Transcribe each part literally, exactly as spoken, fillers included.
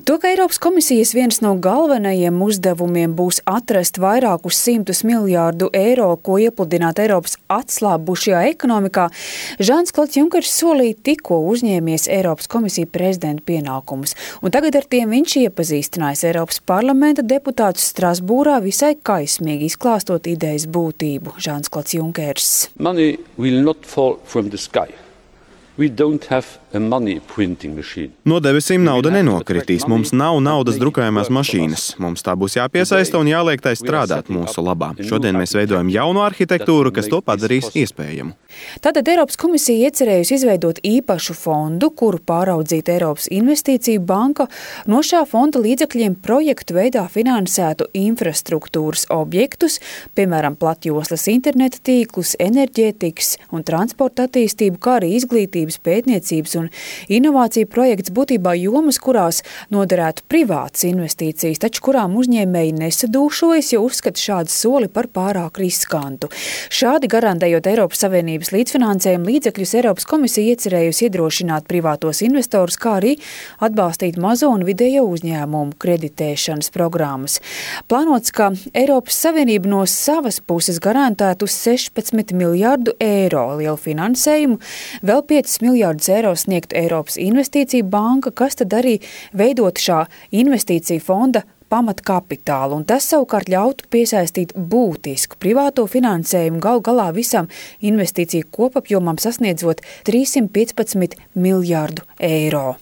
To, ka Eiropas komisijas viens no galvenajiem uzdevumiem būs atrast vairākus simtus miljārdu eiro, ko iepludināt Eiropas atslābušajā ekonomikā, Žans-Klods Junkers solīja tikko uzņēmies Eiropas komisiju prezidenta pienākumus. Un tagad ar tiem viņš iepazīstinājis Eiropas parlamenta deputātus Strasbūrā visai kaismīgi izklāstot idejas būtību. Žans-Klods Junkers. Money will not fall from the sky. We don't have a money printing machine. No debesīm nauda nenokritīs. Mums nav naudas drukājumās mašīnas. Mums tā būs jāpiesaista un jāliek tai strādāt mūsu labā. Šodien mēs veidojam jaunu arhitektūru, kas to padarīs iespējamu. Tātad Eiropas komisija iecerējusi izveidot īpašu fondu, kuru pāraudzīt Eiropas investīciju banka. No šā fonda līdzekļiem projektu veidā finansētu infrastruktūras objektus, piemēram, platjoslas interneta tīklus, enerģētikas un transporta attīstību, kā arī izglītības, pētniecības un inovāciju projekts, būtībā jomas, kurās noderētu privātas investīcijas, taču kurām uzņēmēji nesadūšojas, jo uzskata šādu soli par pārāk riskantu. Šādi garantējot Eiropas Savienības līdzfinansējumu līdzekļus, Eiropas komisija iecerējusi iedrošināt privātos investorus, kā arī atbalstīt mazo un vidējo uzņēmumu kreditēšanas programmas. Plānots, ka Eiropas Savienība no savas puses garantētu sešpadsmit miljārdu eiro lielu finansējumu, vēl piecus miljārdus eiro sniegt Eiropas investīcija banka, kas tad arī veidot šā investīcija fonda pamatkapitālu, un tas savukārt ļautu piesaistīt būtisku privāto finansējumu gal galā visam investīciju kopapjomam sasniedzot trīssimt piecpadsmit miljārdu eiro.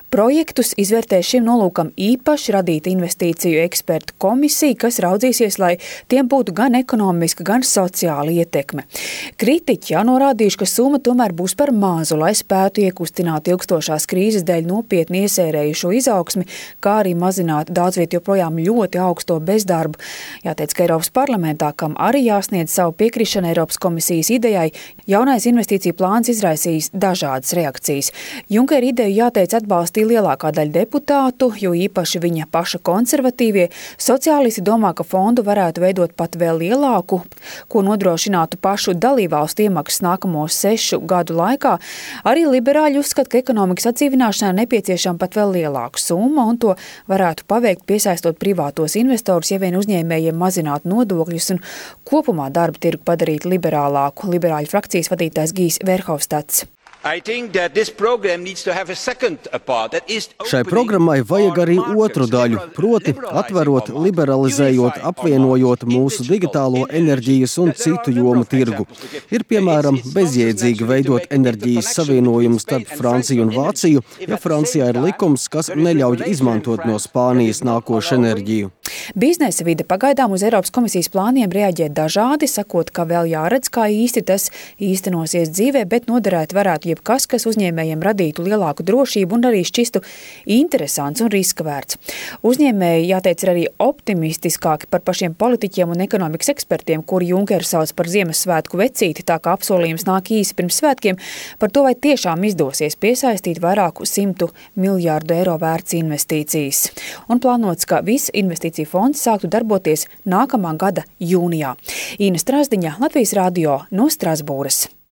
Projektus izvērtē šim nolūkam īpaši radīta investīciju ekspertu komisija, kas raudzīsies, lai tiem būtu gan ekonomiska, gan sociāla ietekme. Kritiķi jau norādījuši, ka summa tomēr būs par mazu, lai spētu iekustināt ilgstošās krīzes dēļ nopietni iesērējušo izaugsmi, kā arī mazināt daudzviet joprojām ļoti augsto bezdarbu. Jāteic, ka Eiropas parlamentā, kam arī jāsniedz savu piekrišanu Eiropas komisijas idejai, jaunais investīciju plāns izraisījis dažādas reakcijas. Junkera ideju jāteic atbalstīt lielākā daļa deputātu, jo īpaši viņa paša konservatīvie. Sociālisti domā, ka fondu varētu veidot pat vēl lielāku, ko nodrošinātu pašu dalībvalstu iemaksas nākamo sešu gadu laikā. Arī liberāļi uzskata, ka ekonomikas atdzīvināšanai nepieciešama pat vēl lielāka summa, un to varētu paveikt piesaistot privātos investorus, ja vien uzņēmējiem mazināt nodokļus un kopumā darba tirgu padarīt liberālāku. Liberāļu frakcijas vadītājs Gijs Verhofstadts. Šai programmai vajag arī otru daļu, proti atverot, liberalizējot, apvienojot mūsu digitālo enerģijas un citu jomu tirgu. Ir, piemēram, bezjēdzīgi veidot enerģijas savienojumu starp Franciju un Vāciju, ja Francijā ir likums, kas neļauj izmantot no Spānijas nākošu enerģiju. Biznesa vide pagaidām uz Eiropas komisijas plāniem reaģē dažādi, sakot, ka vēl jāredz, kā īsti tas īstenosies dzīvē, bet noderēt varētu jebkas, kas uzņēmējiem radītu lielāku drošību un arī šķistu interesants un riska vērts. Uzņēmēji, jāteic, ir arī optimistiskāki par pašiem politiķiem un ekonomikas ekspertiem, kuri Junkeru sauc par Ziemassvētku vecīti, tā kā apsolījums nāk īsi pirms svētkiem, par to, vai tiešām izdosies piesaistīt vairāku simtu miljārdu eiro vērts investīcijas. Un plānots, ka viss investīcija fonds sāktu darboties nākamā gada jūnijā. Ina Strasdiņa, Latvijas radio no Strasbūras.